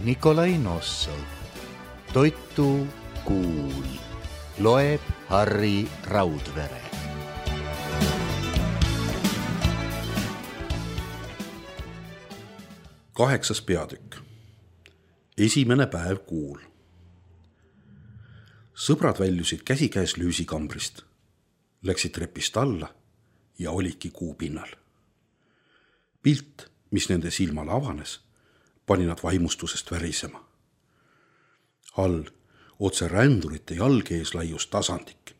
Nikolai Nossov. Toitu Kuul. Loeb Harri Raudvere. Kaheksas peatükk. Esimene päev kuul. Sõbrad väljusid käsikäes lüüsikambrist, läksid trepist alla ja olidki kuu pinnal. Pilt, mis nende silmale avanes, pani nad vaimustusest värisema. All, otse rändurite jalge ees laius tasandik,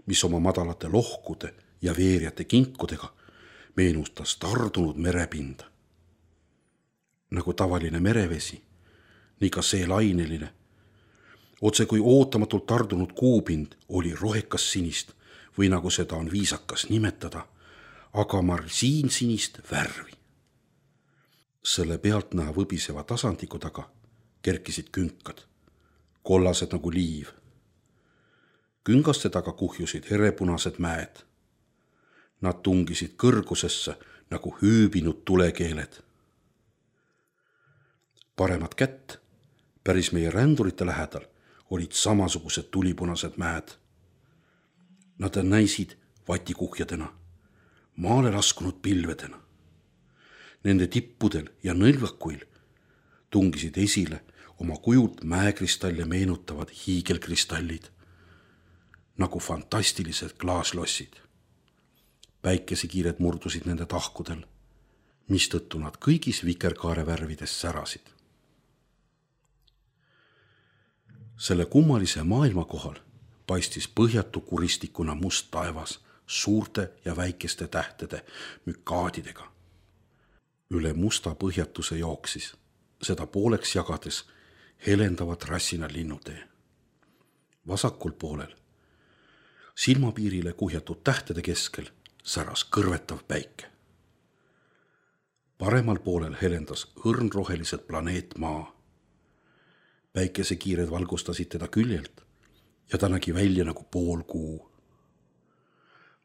mis oma madalate lohkude ja veerjate kinkudega meenustas tardunud merepinda. Nagu tavaline merevesi, nii ka see laineline, otse kui ootamatult tardunud kuupind oli rohekas sinist või nagu seda on viisakas nimetada, aga marsiinsinist värvi. Selle pealtnäha võbiseva tasandiku taga kerkisid künkad, kollased nagu liiv. Küngaste taga kuhjusid herepunased mäed. Nad tungisid kõrgusesse nagu hüübinud tulekeeled. Paremat kätt, päris meie rändurite lähedal, olid samasugused tulipunased mäed. Nad näisid vatikuhjadena, maale laskunud pilvedena. Nende tippudel ja nõlvakuil tungisid esile oma kujult mäekristalle meenutavad hiigelkristallid, nagu fantastilised klaaslossid. Päikesekiired murdusid nende tahkudel, mistõttu nad kõigis vikerkaare värvides särasid. Selle kummalise maailma kohal paistis põhjatu kuristikuna must taevas suurte ja väikeste tähtede mükaadidega. Üle musta põhjatuse jooksis, seda pooleks jagades, helendavad rassina linnutee. Vasakul poolel, silmapiirile kuhjatud tähtede keskel, säras kõrvetav päike. Paremal poolel helendas õrnrohelised planeet Maa. Päikesekiired valgustasid teda küljelt ja ta nägi välja nagu pool kuu.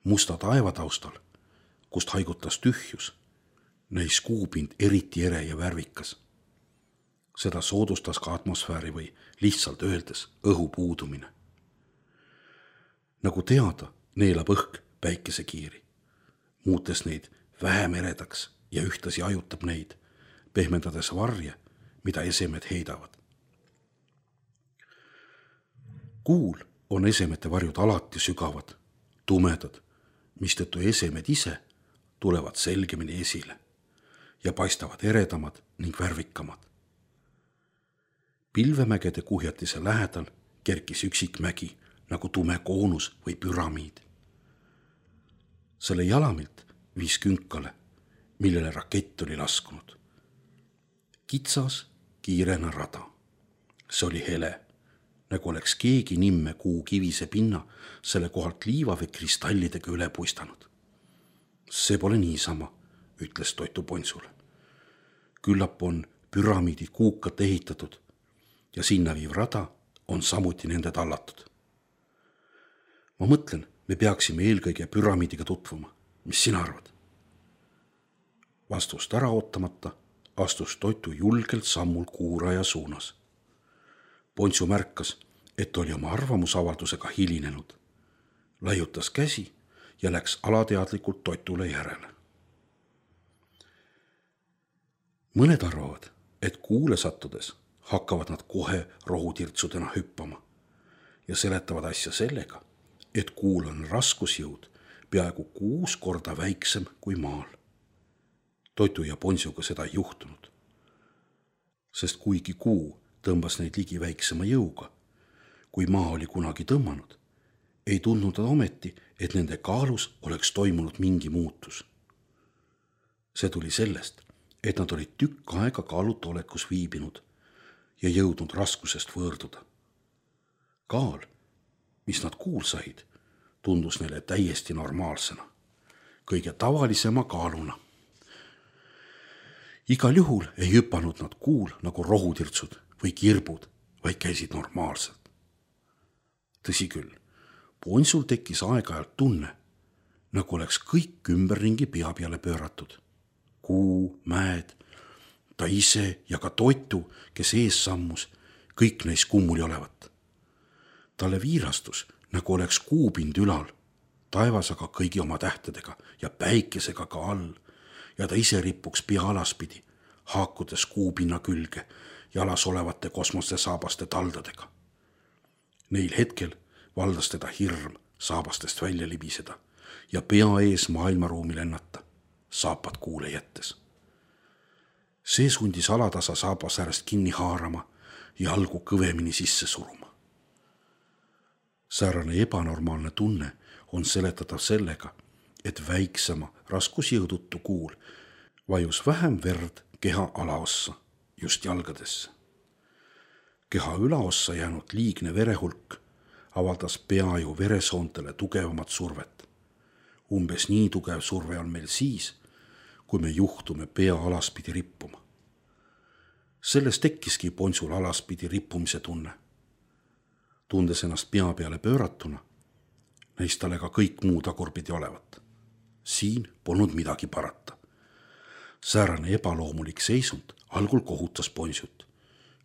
Musta taeva taustal, kust haigutas tühjus, näis kuupind eriti ere ja värvikas. Seda soodustas ka atmosfääri või lihtsalt öeldes õhu puudumine. Nagu teada, neelab õhk päikesekiiri, muutes neid vähem eredaks ja ühtlasi ajutab neid, pehmendades varje, mida esemed heidavad. Kuul on esemete varjud alati sügavad, tumedad, mistõttu esemed ise tulevad selgemini esile ja paistavad eredamad ning värvikamad. Pilvemägede kuhjatise lähedal kerkis üksik mägi nagu tume koonus või püramiid. Selle jalamilt viis künkale, millele rakett oli laskunud. Kitsas, kiirena rada. See oli hele, nagu oleks keegi nimme kuu kivise pinna selle kohalt liiva või kristallidega üle puistanud. See pole niisama, ütles Toitu Ponsule. Küllap on püramiidid kuukat ehitatud ja sinna viiv rada on samuti nende tallatud. Ma mõtlen, me peaksime eelkõige püramiidiga tutvuma. Mis sina arvad? Vastust ära ootamata astus Toitu julgelt sammul kuuraja suunas. Ponsu märkas, et oli oma arvamusavaldusega hilinenud. Laiutas käsi ja läks alateadlikult Toitule järele. Mõned arvavad, et kuule sattudes hakkavad nad kohe rohutirtsudena hüppama ja seletavad asja sellega, et kuul on raskusjõud peaaegu 6 korda väiksem kui maal. Toitu ja Ponsuga seda ei juhtunud, sest kuigi kuu tõmbas neid ligi väiksema jõuga, kui maa oli kunagi tõmmanud, ei tundnud nad ometi, et nende kaalus oleks toimunud mingi muutus. See tuli sellest, et nad olid tükk aega kaaluta olekus viibinud ja jõudnud raskusest võõrduda. Kaal, mis nad kuul said, tundus neile täiesti normaalsena, kõige tavalisema kaaluna. Igal juhul ei hüpanud nad kuul nagu rohutirtsud või kirbud, vaid käisid normaalselt. Tõsi küll, Ponsul tekkis aeg-ajalt tunne, nagu oleks kõik ümberringi pea peale pööratud. Kuu, mäed, ta ise ja ka Toitu, kes ees sammus, kõik neis kummuli olevat. Talle viirastus, nagu oleks kuupind ülal, taevas aga kõigi oma tähtedega ja päikesega ka all ja ta ise rippuks pea alaspidi, haakudes kuupinna külge jalas olevate kosmosesaabaste taldadega. Neil hetkel valdas teda hirm saabastest välja libiseda ja pea ees maailmaruumi lennata, saapad kuule jättes. See sundis alatasa saabas äärest kinni haarama ja jalgu kõvemini sisse suruma. Säärane ebanormaalne tunne on seletatav sellega, et väiksema raskusjõuduttu kuul vajus vähem verd keha alaossa, just jalgadesse. Keha ülaossa jäänud liigne verehulk avaldas peaju veresoontele tugevamat survet. Umbes nii tugev surve on meil siis, kui me juhtume pea alaspidi rippuma. Sellest tekkiski Ponsul alaspidi rippumise tunne. Tundes ennast pea peale pööratuna, näis talle ka kõik muu tagurpidi olevat. Siin polnud midagi parata. Säärane ebaloomulik seisund algul kohutas Ponsut,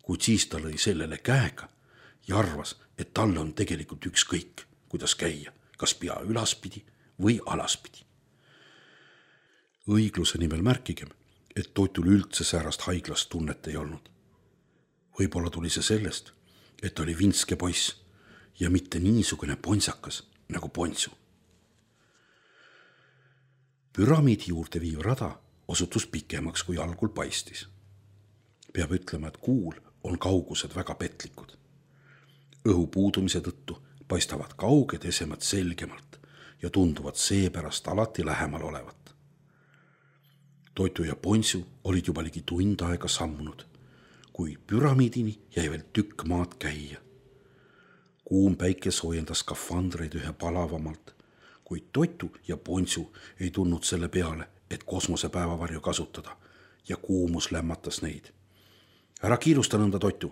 kuid siis ta lõi sellele käega ja arvas, et talle on tegelikult ükskõik, kuidas käia, kas pea ülaspidi või alaspidi. Õigluse nimel märkigem, et Toitul üldse säärast haiglast tunnet ei olnud. Võib-olla tuli see sellest, et ta oli vinske poiss ja mitte niisugune ponsakas nagu Ponsu. Püramiidi juurde viiv rada osutus pikemaks, kui algul paistis. Peab ütlema, et kuul on kaugused väga petlikud. Õhu puudumise tõttu paistavad kauged esemad selgemalt ja tunduvad seepärast alati lähemal olevat. Toitu ja Ponsu olid juba ligi tund aega sammunud, kui püramiidini jäi veel tükk maad käia. Kuum päike soojendas skafandreid ühe palavamalt, kuid Toitu ja Ponsu ei tulnud selle peale, et kosmosepäevavarju kasutada ja kuumus lämmatas neid. Ära kiirusta nõnda, Toitu,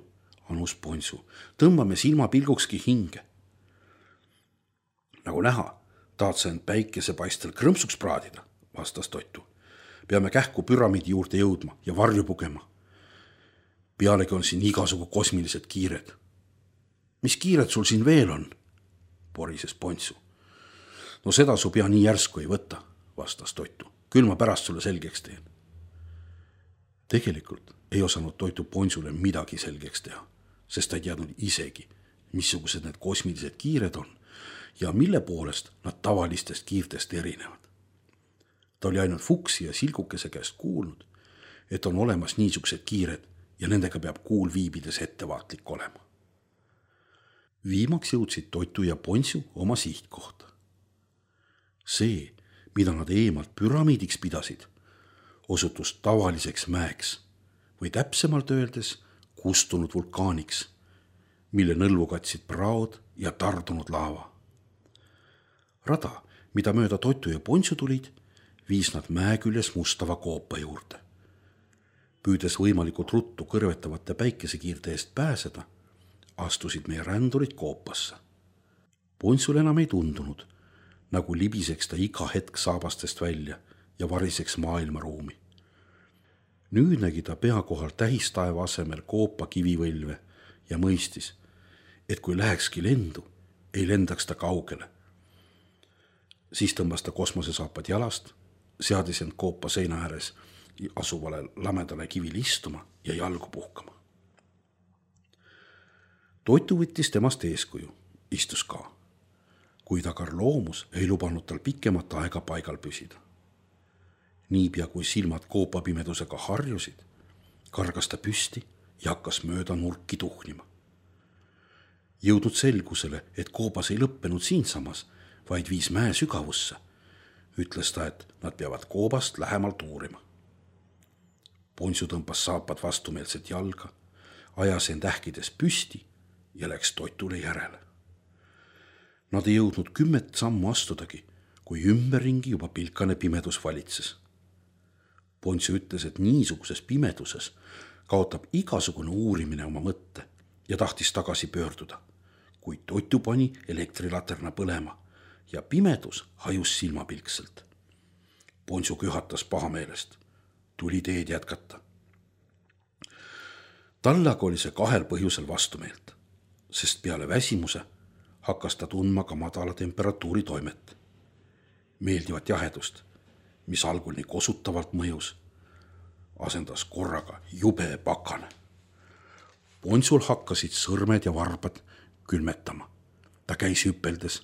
anus Ponsu, tõmbame silmapilgukski hinge. Nagu näha, tahad sa end päikesepaistel krõmpsuks praadida, vastas Toitu. Peame kähku püramiidi juurde jõudma ja varju pugema. Pealegi on siin igasugu kosmilised kiired. Mis kiired sul siin veel on? Porises Ponsu. No seda su pea nii järsku ei võta, vastas Toitu. Küll ma pärast sulle selgeks teen. Tegelikult ei osanud Toitu Ponsule midagi selgeks teha, sest ta ei teadnud isegi, missugused need kosmilised kiired on ja mille poolest nad tavalistest kiirtest erinevad. Ta oli ainult Fuksi ja Silgukese käest kuulnud, et on olemas niisugused kiired ja nendega peab kuul viibides ettevaatlik olema. Viimaks jõudsid Toitu ja Ponsu oma sihtkohta. See, mida nad eemalt püramiidiks pidasid, osutus tavaliseks mäeks või täpsemalt öeldes kustunud vulkaaniks, mille nõlvu katsid praod ja tardunud laava. Rada, mida mööda Toitu ja Ponsu tulid, viis nad mäe küljes mustava koopa juurde. Püüdes võimalikult ruttu kõrvetavate päikesekiirte eest pääseda, astusid meie rändurid koopasse. Ponsul enam ei tundunud, nagu libiseks ta iga hetk saabastest välja ja variseks maailmaruumi. Nüüd nägi ta pea kohal tähistaeva asemel koopa kivivõlve ja mõistis, et kui lähekski lendu, ei lendaks ta kaugele. Siis tõmbas ta kosmosesaapad jalast, seadis end koopa seina ääres asuvale lamedale kivile istuma ja jalgu puhkama. Toitu võttis temast eeskuju, istus ka, kuid agar loomus ei lubanud tal pikemat aega paigal püsida. Niipea kui silmad koopapimedusega harjusid, kargas ta püsti ja hakkas mööda nurki tuhnima. Jõudnud selgusele, et koopas ei lõppenud siinsamas, vaid viis mäe sügavusse, ütles ta, et nad peavad koobast lähemalt uurima. Ponsu tõmbas saapad vastumeelset jalga, ajas end ähkides püsti ja läks Toitule järele. Nad ei jõudnud 10 sammu astudagi, kui ümberringi juba pilkane pimedus valitses. Ponsu ütles, et niisuguses pimeduses kaotab igasugune uurimine oma mõtte ja tahtis tagasi pöörduda, kuid Toitu pani elektrilaterna põlema ja pimedus hajus silmapilkselt. Ponsu köhatas pahameelest, tuli teed jätkata. talle aga oli see kahel põhjusel vastumeelt, sest peale väsimuse hakkas ta tundma ka madala temperatuuri toimet. Meeldivat jahedust, mis algul nii kosutavalt mõjus, asendas korraga jube pakane. Ponsul hakkasid sõrmed ja varbad külmetama. Ta käis hüpeldes,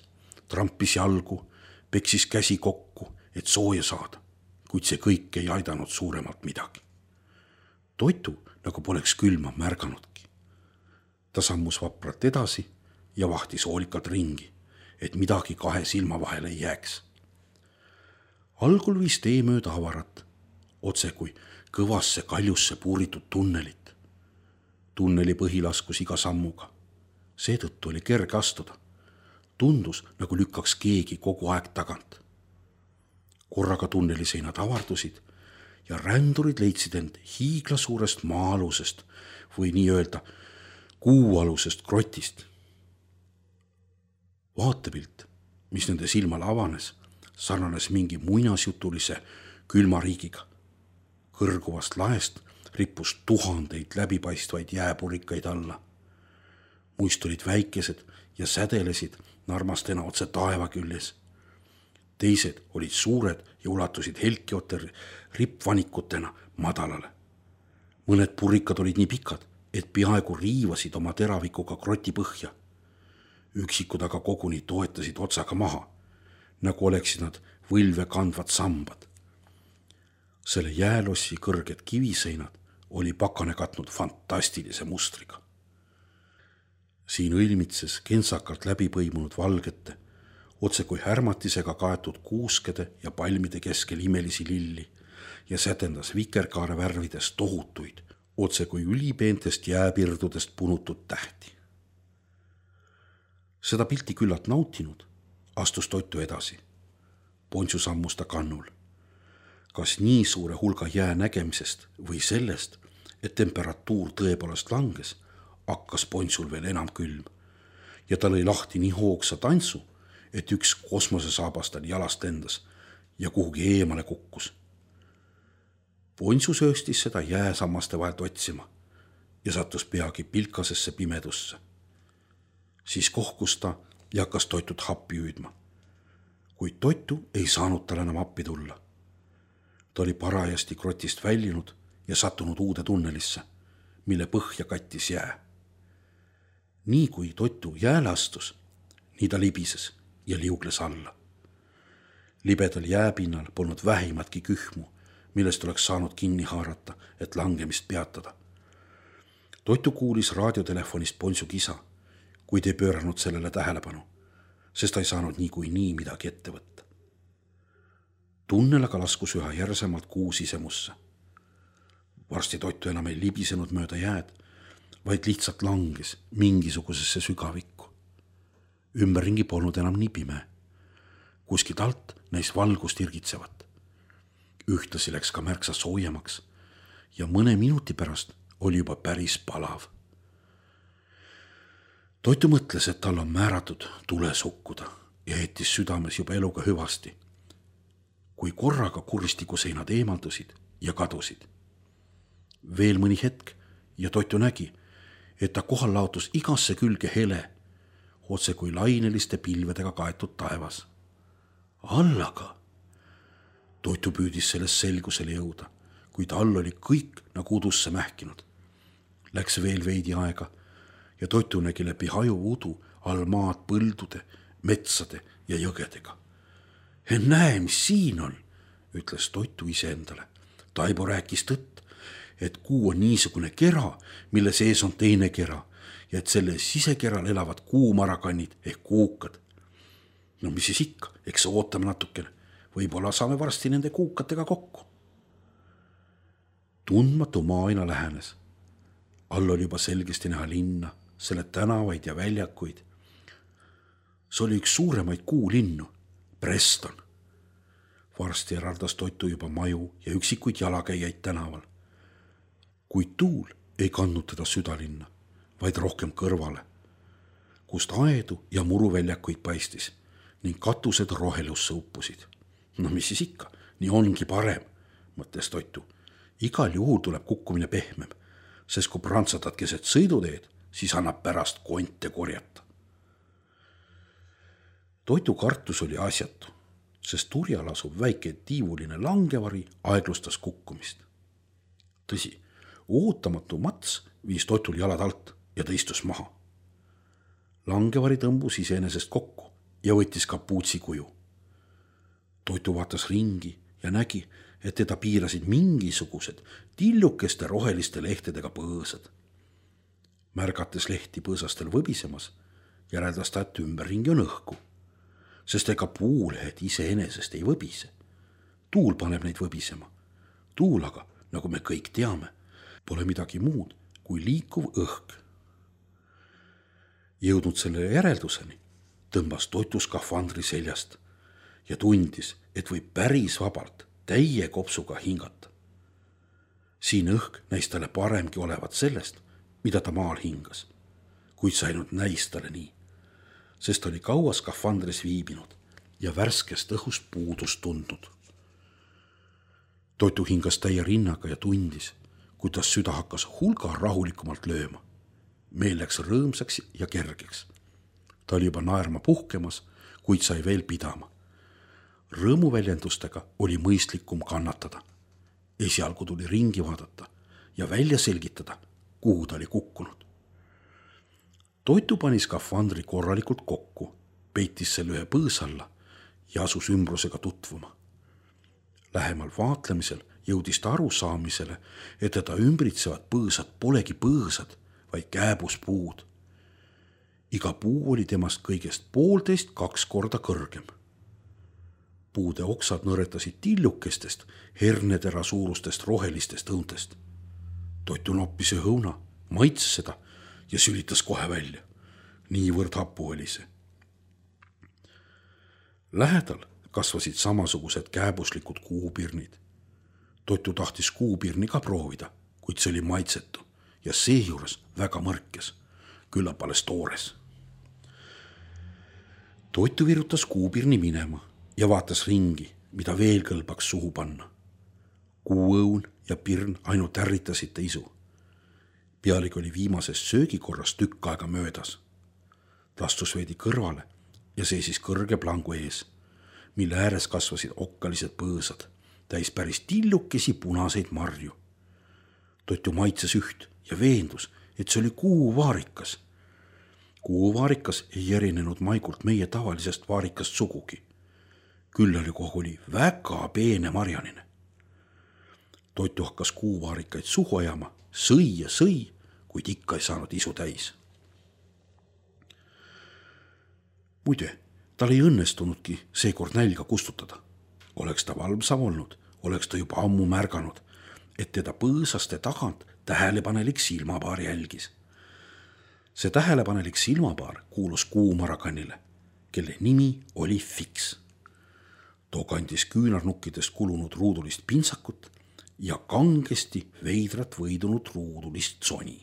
trampis jalgu, peksis käsi kokku, et sooja saada, kuid see kõik ei aidanud suuremalt midagi. Toitu nagu poleks külma märganudki. Ta sammus vapralt edasi ja vahtis hoolikalt ringi, et midagi kahe silma vahele ei jääks. Algul viis tee mööda avarat, otse kui kõvasse kaljusse puuritud tunnelit. Tunneli põhi laskus iga sammuga. Seetõttu oli kerge astuda. Tundus, nagu lükkaks keegi kogu aeg tagant. Korraga tunneli seinad avardusid ja rändurid leidsid end hiiglasuurest maa-alusest või nii öelda kuualusest grotist. Vaatepilt, mis nende silmale avanes, sarnanes mingi muinasjutulise külmariigiga. Kõrguvast laest rippus tuhandeid läbipaistvaid jääpurikaid alla. Muist olid väikesed ja sädelesid narmastena otse taeva küljes. Teised olid suured ja ulatusid helkiote rippvanikutena madalale. Mõned purikad olid nii pikad, et peaaegu riivasid oma teravikuga kroti põhja. Üksikud aga koguni toetasid otsaga maha, nagu oleksid nad võlve kandvad sambad. Selle jäälossi kõrged kiviseinad oli pakane katnud fantastilise mustriga. Siin õilmitses kentsakalt läbi põimunud valgete, otse kui härmatisega kaetud kuuskede ja palmide keskel imelisi lilli ja sätendas vikerkaare värvides tohutuid, otse kui ülipeentest jääpirdudest punutud tähti. Seda pilti küllalt nautinud, astus Toitu edasi. Ponsu sammus ta kannul. Kas nii suure hulga jää nägemisest või sellest, et temperatuur tõepoolest langes, hakkas Ponsul veel enam külm ja ta lõi lahti nii hoogsa tantsu, et üks kosmosesaabas tal jalast lendas ja kuhugi eemale kukkus. Ponsu sööstis seda jääsammaste vahelt otsima ja sattus peagi pilkasesse pimedusse. Siis kohkus ta ja hakkas Toitut happi hüüdma, kuid Toitu ei saanud tal enam appi tulla. Ta oli parajasti grotist väljunud ja sattunud uude tunnelisse, mille põhja kattis jää. Nii kui Toitu jääle astus, nii ta libises ja liugles alla. Libedal jääpinnal polnud vähimatki kühmu, millest oleks saanud kinni haarata, et langemist peatada. Toitu kuulis raadiotelefonist Ponsu kisa, kuid ei pööranud sellele tähelepanu, sest ta ei saanud nii midagi ette võtta. Tunnel aga laskus üha järsemalt kuu sisemusse. Varsti Toitu enam ei libisenud mööda jääd, vaid lihtsalt langes mingisugusesse sügavikku. Ümberringi polnud enam nii pime. Kuskilt alt näis valgust irgitsevat. Ühtlasi läks ka märksa soojemaks ja mõne minuti pärast oli juba päris palav. Toitu mõtles, et tal on määratud tules hukkuda ja heitis südames juba eluga hüvasti, kui korraga kuristikuseinad eemaldusid ja kadusid. Veel mõni hetk ja Toitu nägi, et ta kohal laotus igasse külge hele, otse kui laineliste pilvedega kaetud taevas. Allaga! Toitu püüdis sellest selgusele jõuda, kuid all oli kõik nagu udusse mähkinud. Läks veel veidi aega ja Toitu nägi läbi hajuva udu all maad põldude, metsade ja jõgedega. Näe, mis siin on, ütles Toitu iseendale. Taibo rääkis tõtt, et kuu on niisugune kera, mille sees on teine kera ja et selle sisekeral elavad kuumarakannid ehk kuukad. No mis siis ikka, eks ootame natukene. Võib-olla saame varsti nende kuukatega kokku. Tundmatu maa aina lähenes. All oli juba selgesti näha linna, selle tänavaid ja väljakuid. See oli üks suuremaid kuulinnu, Preston. Varsti eraldas Toitu juba maju ja üksikuid jalakäijaid tänaval. Kuid tuul ei kandnud teda südalinna, vaid rohkem kõrvale, kust aedu ja muruväljakuid paistis ning katused rohelusse uppusid. No mis siis ikka, nii ongi parem, mõtles Toitu. Igal juhul tuleb kukkumine pehmem. sest kui prantsatad keset sõiduteed, siis annab pärast konte korjata. Toitu kartus oli asjatu, sest turjal asub väike tiivuline langevari aeglustas kukkumist. Tõsi, ootamatu Mats viis Toitul jalad alt ja ta istus maha. Langevari tõmbus iseenesest kokku ja võttis kapuutsi kuju. Toitu vaatas ringi ja nägi, et teda piirasid mingisugused tillukeste roheliste lehtedega põõsad. Märgates lehti põõsastel võbisemas, järeldas ta, et ümberringi on õhku, sest ega puulehed iseenesest ei võbise. Tuul paneb neid võbisema. Tuul aga, nagu me kõik teame, pole midagi muud kui liikuv õhk. Jõudnud selle järelduseni, tõmbas Toitu skafandri seljast ja tundis, et võib päris vabalt täie kopsuga hingata. Siin õhk näis talle paremgi olevat sellest, mida ta maal hingas, kuid see ainult näis talle nii, sest oli kaua skafandris viibinud ja värskest õhust puudust tundnud. Toitu hingas täie rinnaga ja tundis, kuidas süda hakkas hulga rahulikumalt lööma. Meel läks rõõmsaks ja kergeks. Ta oli juba naerma puhkemas, kuid sai veel pidama. Rõõmuväljendustega oli mõistlikum kannatada. Esialgu tuli ringi vaadata ja välja selgitada, kuhu ta oli kukkunud. Toitu pani skafandri korralikult kokku, peitis selle ühe põõs alla ja asus ümbrusega tutvuma. Lähemal vaatlemisel jõudis ta arusaamisele, et teda ümbritsevad põõsad polegi põõsad, vaid kääbuspuud. Iga puu oli temast kõigest 1,5–2 korda kõrgem. Puude oksad nõretasid tillukestest, hernetera suurustest rohelistest õuntest. Toitu noppis õuna, maitses seda ja sülitas kohe välja. Niivõrd hapu oli see. Lähedal kasvasid samasugused kääbuslikud kuupirnid. Toitu tahtis kuupirni ka proovida, kuid see oli maitsetu ja seejuures väga mõrkes, küllap alles toores. Toitu virutas kuupirni minema ja vaatas ringi, mida veel kõlbaks suhu panna. Kuuõun ja pirn ainult ärritasid ta isu. Pealegi oli viimasest söögikorrast tükk aega möödas. Ta astus veidi kõrvale ja seisis kõrge plangu ees, mille ääres kasvasid okkalised põõsad, täis päris tillukesi punaseid marju. Toitu maitses üht ja veendus, et see oli kuuvaarikas. Kuuvaarikas ei erinenud maigult meie tavalisest vaarikast sugugi. Küll oli väga peene marjanine. Toitu hakkas kuuvaarikaid suhu ajama, sõi ja sõi, kuid ikka ei saanud isu täis. Muide, tal ei õnnestunudki seekord nälga kustutada. Oleks ta valvsam olnud, oleks ta juba ammu märganud, et teda põõsaste tagant tähelepanelik silmapaar jälgis. See tähelepanelik silmapaar kuulus kuumarakanile, kelle nimi oli Fiks. Too kandis küünarnukkidest kulunud ruudulist pintsakut ja kangesti veidrat võidunud ruudulist soni.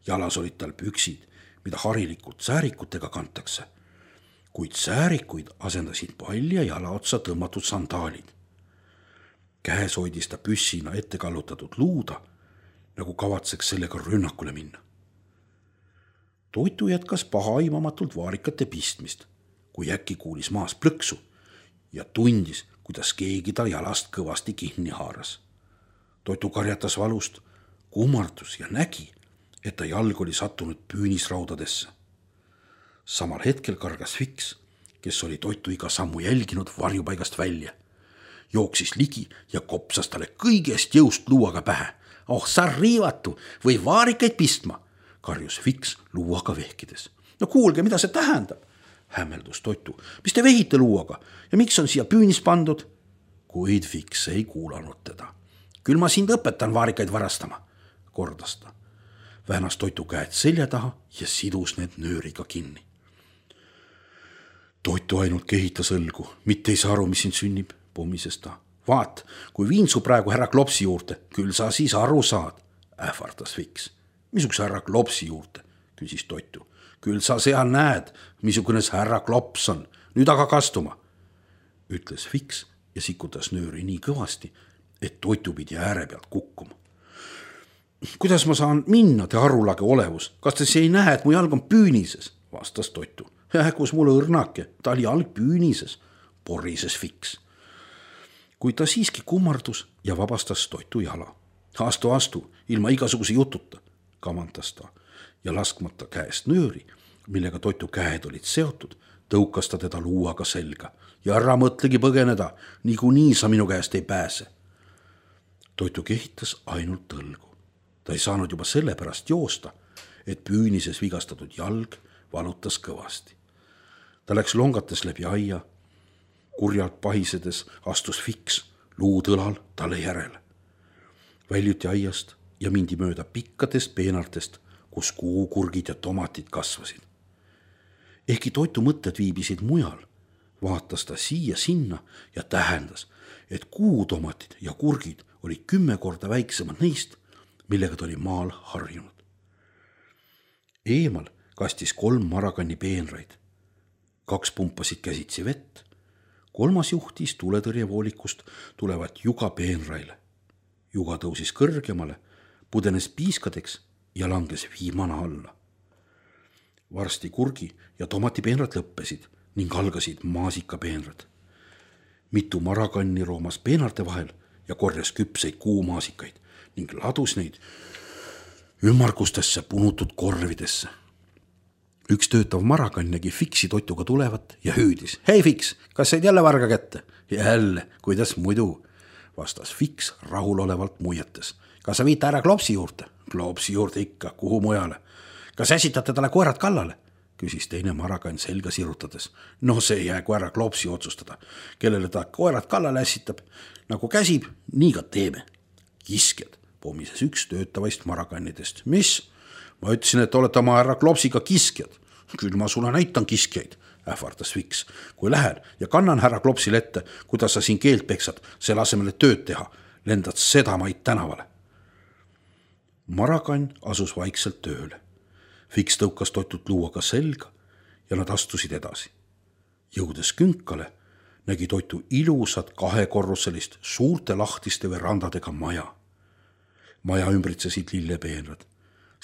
Jalas olid tal püksid, mida harilikult säärikutega kantakse, kuid säärikuid asendasid palja jalaotsa tõmmatud sandaalid. Käes hoidis ta püssina ette kallutatud luuda, nagu kavatseks sellega rünnakule minna. Toitu jätkas pahaimamatult vaarikate pistmist, kui äkki kuulis maas plõksu ja tundis, kuidas keegi ta jalast kõvasti kinni haaras. Toitu karjatas valust, kummardus ja nägi, et ta jalg oli sattunud püünisraudadesse. Samal hetkel kargas Fiks, kes oli Toitu iga sammu jälginud, varjupaigast välja. Jooksis ligi ja kopsas talle kõigest jõust luuaga pähe. Oh, sa riivatu või vaarikaid pistma, karjus Fiks luuaga vehkides. No kuulge, mida see tähendab? Hämmeldus Toitu. Mis te vehite luuaga ja miks on siia püünis pandud? Kuid Fiks ei kuulanud teda. Küll ma sind õpetan vaarikaid varastama, kordas ta. Vähnas Toitu käed selja taha ja sidus need nööriga kinni. Toitu ainult kehitas õlgu, mitte ei saa aru, mis siin sünnib, pommises ta. Vaat, kui viin su praegu härra Klopsi juurde, küll sa siis aru saad, ähvardas Fiks. Missuguse härra Klopsi juurde, küsis Toitu. Küll sa seal näed, missugune see härra Klops on, nüüd aga kastuma, ütles Fiks ja sikutas nööri nii kõvasti, et Toitu pidi ääre pealt kukkuma. kuidas ma saan minna, te arulage olevus, kas te ei näe, et mu jalg on püünises, vastas Toitu. Kus mul õrnake, ta oli jalg püünises, porises Fiks. Kuid ta siiski kummardus ja vabastas Toitu jala. Astu, ilma igasuguse jututa, kamandas ta ja laskmata käest nööri, millega Toitu käed olid seotud, tõukas ta teda luuaga selga ja ära mõtlegi põgeneda, niikuinii sa minu käest ei pääse. Toitu kehitas ainult tõlgu. Ta ei saanud juba sellepärast joosta, et püünises vigastatud jalg valutas kõvasti. Ta läks longates läbi aia, kurjalt pahisedes astus Fiks luud õlal talle järele. Väljuti aiast ja mindi mööda pikkadest peenartest, kus kuukurgid ja tomatid kasvasid. Ehkki Toitu mõtted viibisid mujal, vaatas ta siia sinna ja tähendas, et kuutomatid ja kurgid olid 10 korda väiksemad neist, millega ta oli maal harjunud. Eemal kastis 3 marakanni peenraid. 2 pumpasid käsitsi vett, 3. juhtis tuletõrjevoolikust tulevat juga peenraile. Juga tõusis kõrgemale, pudenes piiskadeks ja langes viimane alla. Varsti kurgi ja tomatipeenrad lõppesid ning algasid maasikapeenrad. Mitu marakanni roomas peenarte vahel ja korjas küpseid kuumaasikaid ning ladus neid ümmargustesse punutud korvidesse. Üks töötav marakann nägi Fiksi Toituga tulevat ja hüüdis. Hei Fiks, kas said jälle varga kätte? Jälle, kuidas muidu, vastas Fiks rahulolevalt muiates. Kas sa viite ära Klopsi juurde? Klopsi juurde ikka, kuhu mujale? Kas äsitate talle koerad kallale? Küsis teine marakann selga sirutades. No see jäägu ära Klopsi otsustada, kellele ta koerad kallale ässitab. Nagu käsib, nii ka teeme. Kiskjad, pomises üks töötavaist marakannidest. Mis? Ma ütlesin, et olete oma härra Klopsiga kiskjad. Küll ma sulle näitan kiskjaid, ähvardas Fiks. Kui lähen ja kannan härra Klopsile ette, kuidas sa siin keelt peksad, selle asemel tööd teha, lendad sedamaid tänavale. Marakann asus vaikselt tööle. Fiks tõukas Toitut luuaga selga ja nad astusid edasi. Jõudes künkale, nägi Toitu ilusat 2-korruselist suurte lahtiste verandadega maja. Maja ümbritsesid lillepeenrad.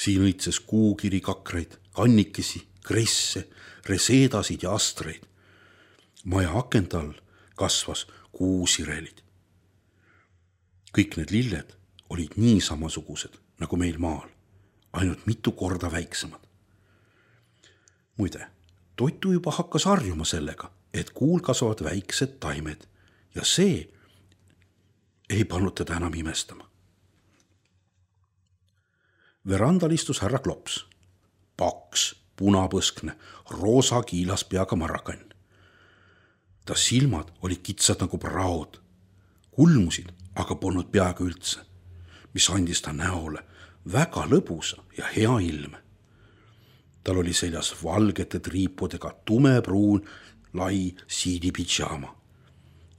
Siin õitses kuukiri kakraid, kannikesi, kresse, reseedasid ja astreid. Maja akent all kasvas kuusirelid. Kõik need lilled olid nii samasugused nagu meil maal, ainult mitu korda väiksemad. Muide, Toitu juba hakkas harjuma sellega, et kuul kasvavad väiksed taimed ja see ei pannud teda enam imestama. Verandal istus härra Klops, paks, punapõskne, roosa kiilaspeaga marakann. Ta silmad olid kitsad nagu praod, kulmusid aga polnud peaaegu üldse, mis andis ta näole väga lõbusa ja hea ilme. Tal oli seljas valgete triipudega tumepruun lai siidipidžaama,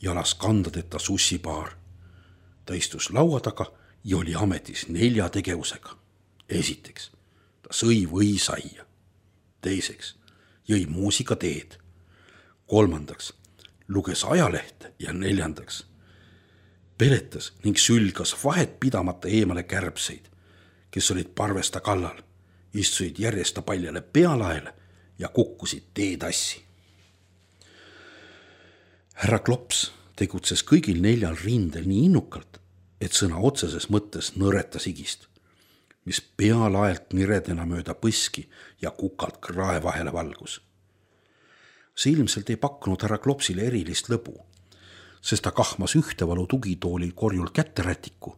jalas kandadeta sussipaar. Ta istus laua taga ja oli ametis 4 tegevusega. Esiteks, ta sõi võisaia. Teiseks, jõi muusikateed. 3. luges ajalehte ja 4. peletas ning sülgas vahet pidamata eemale kärbseid, kes olid parvesta kallal, istusid järjesta paljale pealaele ja kukkusid teetassi. Härra Klops tegutses kõigil 4 rindel nii innukalt, et sõna otseses mõttes nõretas higist, mis pealaelt niredena mööda põski ja kukalt krae vahele valgus. See ilmselt ei pakkunud härra Klopsile erilist lõbu, sest ta kahmas ühtevalu tugitoolil korjul kätterätiku,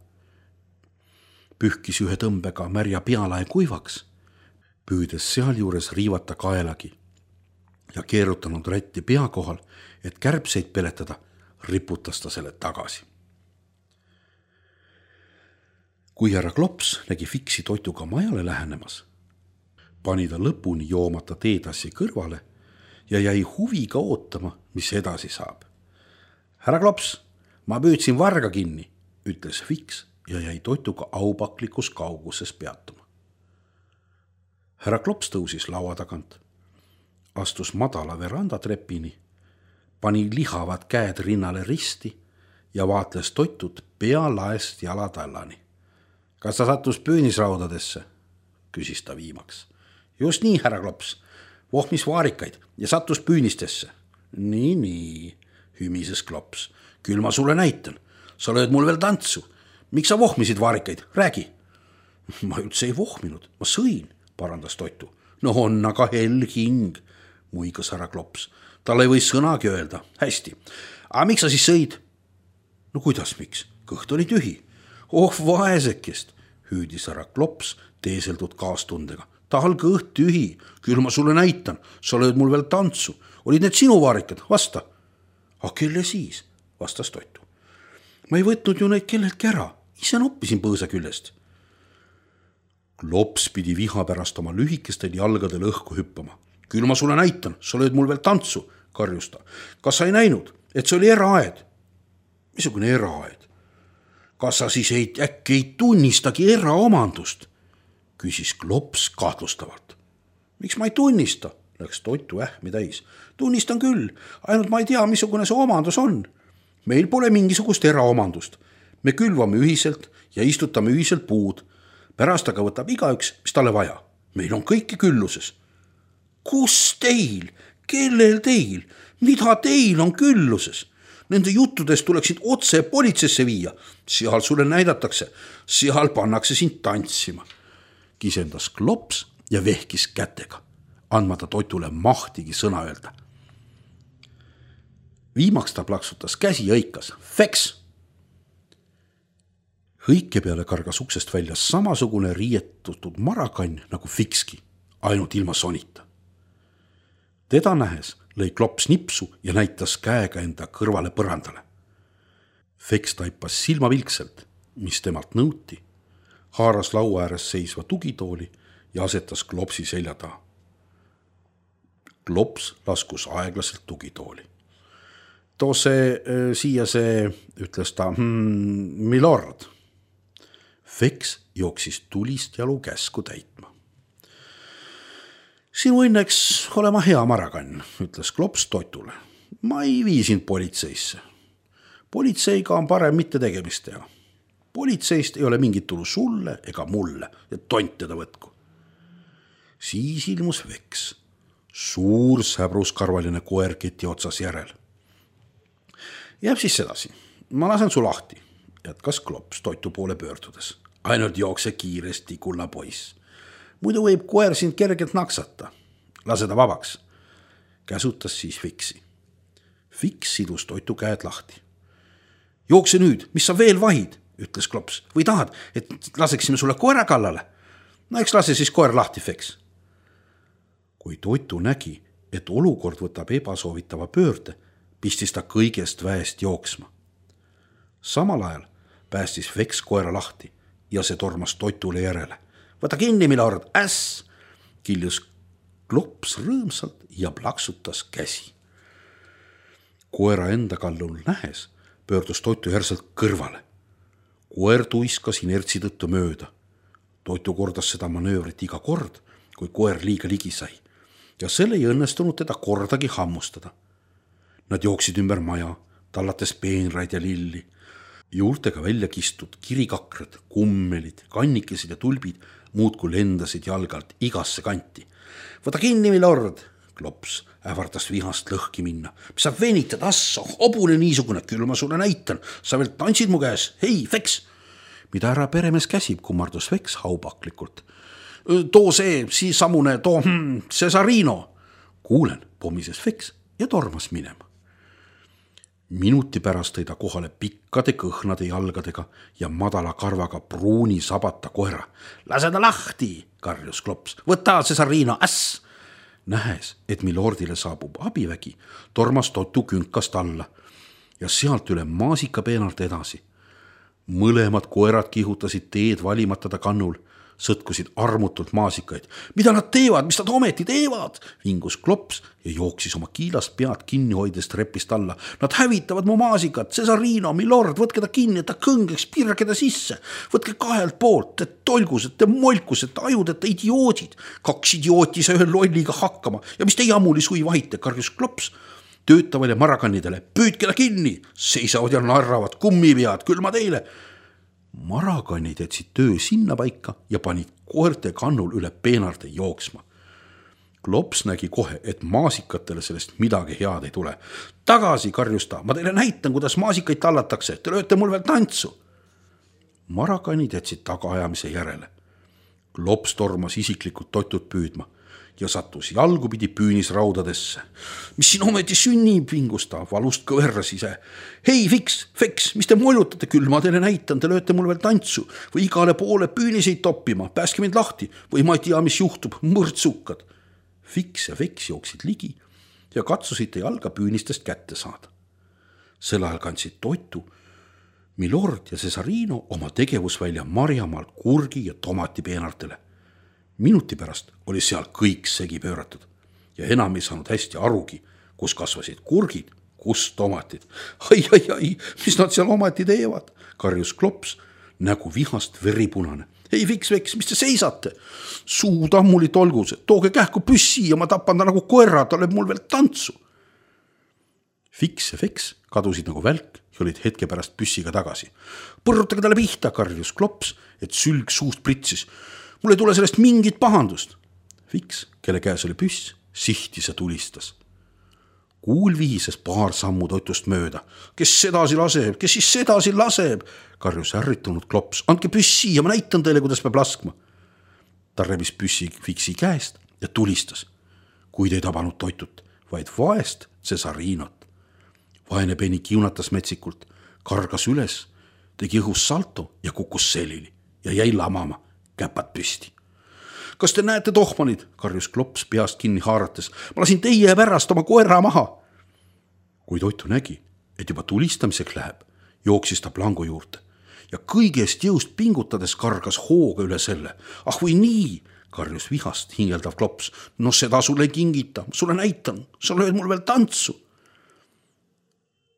pühkis ühe tõmbega märja pealae kuivaks, püüdes sealjuures riivata kaelagi ja keerutanud rätti pea kohal, et kärbseid peletada, riputas ta selle tagasi. Kui härra Klops nägi Fiksi Toituga majale lähenemas, pani ta lõpuni joomata teetassi kõrvale ja jäi huviga ootama, mis edasi saab. Härra Klops, ma püüdsin varga kinni, ütles Fiks ja jäi Toituga aupaklikus kauguses peatuma. Härra Klops tõusis laua tagant, astus madala verandatrepini, pani lihavad käed rinnale risti ja vaatles Toitut pealaest jalatallani. Kas ta sattus püünisraudadesse? Küsis ta viimaks. Just nii, härra Klops. Vohmis vaarikaid ja sattus püünistesse. Nii, hymises Klops. Küll ma sulle näitan. Sa lööd mul veel tantsu. Miks sa vohmisid vaarikaid? Räägi. Ma üldse ei vohminud. Ma sõin, parandas Toitu. No on aga hell hing, muigas härra Klops. Tal ei või sõnagi öelda. Hästi. Aga miks sa siis sõid? No kuidas miks? Kõht oli tühi. Oh vaesekest, hüüdis härra Klops teeseldud kaastundega. Tal kõht tühi. Küll ma sulle näitan. Sa lööd mul veel tantsu. Olid need sinu vaarikad? Vasta. A kelle siis? Vastas Toitu. Ma ei võtnud ju neid kelleltki ära. Ise noppisin põõsa küljest. Klops pidi viha pärast oma lühikestel jalgadel õhku hüppama. Küll ma sulle näitan. Sa lööd mul veel tantsu, karjus ta. Kas sa ei näinud, et see oli eraaed? Missugune eraaed? Kas sa siis äkki ei tunnistagi eraomandust? Küsis Klops kahtlustavalt. Miks ma ei tunnista? Läks Toitu ähmi täis. Tunnistan küll, ainult ma ei tea, missugune see omandus on. Meil pole mingisugust eraomandust. Me külvame ühiselt ja istutame ühiselt puud. Pärast aga võtab igaüks, mis talle vaja. Meil on kõiki külluses. Kus teil? Kellel teil? Mida teil on külluses? Nende juttudest tuleksid otse politseisse viia. Seal sulle näidatakse. Seal pannakse sind tantsima. Kisendas Klops ja vehkis kätega, andmata Toitule mahtigi sõna öelda. Viimaks ta plaksutas käsi ja hõikas. Feks! Hõike peale kargas uksest välja samasugune riietutud marakann nagu Fikski, ainult ilma sonita. Teda nähes lõi Klops nipsu ja näitas käega enda kõrvale põrandale. Feks taipas silmavilkselt, mis temalt nõuti, haaras laua ääres seisva tugitooli ja asetas Klopsi selja taha. Klops laskus aeglaselt tugitooli. Too siia see, ütles ta, milord. Feks jooksis tulist jalu käsku täitma. Sinu õnneks olema hea marakann, ütles Klops Toitule. Ma ei vii sind politseisse. Politseiga on parem mitte tegemist teha. Politseist ei ole mingit tulu sulle ega mulle ja tont teda võtku. Siis ilmus Feks, suur säbruskarvaline koer keti otsas järel. Jääb siis sedasi. Ma lasen su lahti, jätkas Klops Toitu poole pöördudes. Ainult jookse kiiresti, kulla poiss. Muidu võib koer sind kergelt naksata. Lase ta vabaks. Käsutas siis Fiksi. Fiks sidus Toitu käed lahti. Jookse nüüd, mis sa veel vahid, ütles Klops. Või tahad, et laseksime sulle koera kallale? No eks lase siis koer lahti, Feks. Kui Toitu nägi, et olukord võtab ebasoovitava pöörde, pistis ta kõigest väest jooksma. Samal ajal päästis Feks koera lahti ja see tormas Toitule järele. Võta kinni, milord, äss! Kiljus Klops rõõmsalt ja plaksutas käsi. Koera enda kallul nähes pöördus Toitu järselt kõrvale. Koer tuiskas inertsi tõttu mööda. Toitu kordas seda manöövrit iga kord, kui koer liiga ligi sai. Ja selle ei õnnestunud teda kordagi hammustada. Nad jooksid ümber maja, tallates peenraid ja lilli. Juurtega välja kistud kirikakrad, kummelid, kannikesed ja tulbid muudkui lendasid jalgalt igasse kanti. Võta kinni, milord! Klops ähvardas vihast lõhki minna. Mis sa venitad, assa, hobune niisugune, küll ma sulle näitan. Sa veel tantsid mu käes. Hei, Feks! Mida härra peremees käsib, kummardus Feks haupaklikult. Too see, samune, too Cesarino. Kuulen, pommises Feks ja tormas minema. Minuti pärast tõi ta kohale pikkade kõhnade jalgadega ja madala karvaga pruuni sabata koera. Lase ta lahti, karjus Klops. Võta Cesarino, äss! Nähes, et milordile saabub abivägi, tormas Toitu künkast alla ja sealt üle maasikapeenalt edasi. Mõlemad koerad kihutasid teed valimata ta kannul, sõtkusid armutult maasikaid. Mida nad teevad, mis nad ometi teevad? Vingus Klops ja jooksis oma kiilast pead kinni hoides trepist alla. Nad hävitavad mu maasikat, Cesarino, milord, võtke ta kinni, et ta kõngeks, pirke ta sisse. Võtke kahelt poolt, et tolgused, te molkused, te ajud, et te idioodid. 2 idiooti sai ühe lolliga hakkama ja mis te jammuli sui vahite, karjus Klops. Töötavale marakannidele, püüdke ta kinni, seisavad ja narravad, kummipead, küll ma teile. Marakannid jätsid töö sinna paika ja panid koerte kannul üle peenarde jooksma. Klops nägi kohe, et maasikatele sellest midagi head ei tule. Tagasi, karjus ta, ma teile näitan, kuidas maasikaid tallatakse, te lööte mul veel tantsu. Marakannid jätsid tagaajamise järele. Klops tormas isiklikult Totut püüdma ja sattus jalgupidi püünisraudadesse. Mis siin ometi sünnib, vingus ta, valust kõverras ise. Hei, Feks, mis te moljutate küll, ma teile näitan, te lööte mul veel tantsu või igale poole püüniseid toppima, pääske mind lahti või ma ei tea, mis juhtub, mõrtsukad. Fiks ja Feks jooksid ligi ja katsusid ta jalga püünistest kätte saada. Sel ajal kandsid Totu, Milord ja Cesarino oma tegevusvälja marjamaalt kurgi ja tomati peenartele. Minuti pärast oli seal kõik segi pööratud ja enam ei saanud hästi arugi, kus kasvasid kurgid, kus tomatid. Ai, mis nad seal ometi teevad, karjus Klops, nägu vihast veripunane. Hei, Fiks, mis te seisate? Suu tammuli tolgus, tooge kähku püssi ja ma tapan ta nagu koera, ta lööb mul veel tantsu. Fiks ja Feks kadusid nagu välk ja olid hetke pärast püssiga tagasi. Põrrutage talle pihta, karjus Klops, et sülg suust pritsis. Mul ei tule sellest mingit pahandust. Fiks, kelle käes oli püss, sihtis ja tulistas. Kuul vihises paar sammu Totust mööda. Kes sedasi laseb, kes siis sedasi laseb? Karjus ärritunud Klops. Andke püssi ja ma näitan teile, kuidas peab laskma. Ta rebis püssi Fiksi käest ja tulistas, kuid ei tabanud Totut, vaid vaest Cesarinot. Vaene Penny kiunatas metsikult, kargas üles, tegi õhus salto ja kukkus selili ja jäi lamama, käpad püsti. Kas te näete, tohmanid, karjus Klops peast kinni haarates. Ma lasin teie pärast oma koera maha. Kui Totu nägi, et juba tulistamiseks läheb, jooksis ta plangu juurde ja kõigest jõust pingutades kargas hooga üle selle. Ah või nii, karjus vihast hingeldav Klops. No seda sulle ei kingita, sulle näitan, sa lööd mul veel tantsu.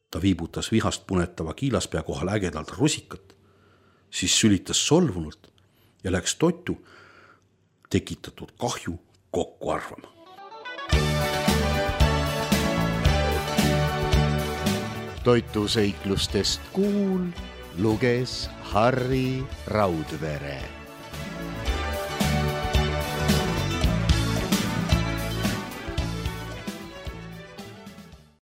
Ta viibutas vihast punetava kiilaspea kohal ägedalt rusikat, siis sülitas solvunult ja läks Totu tekitatud kahju kokku arvama. Totu seiklustest Kuul luges Harri Raudvere.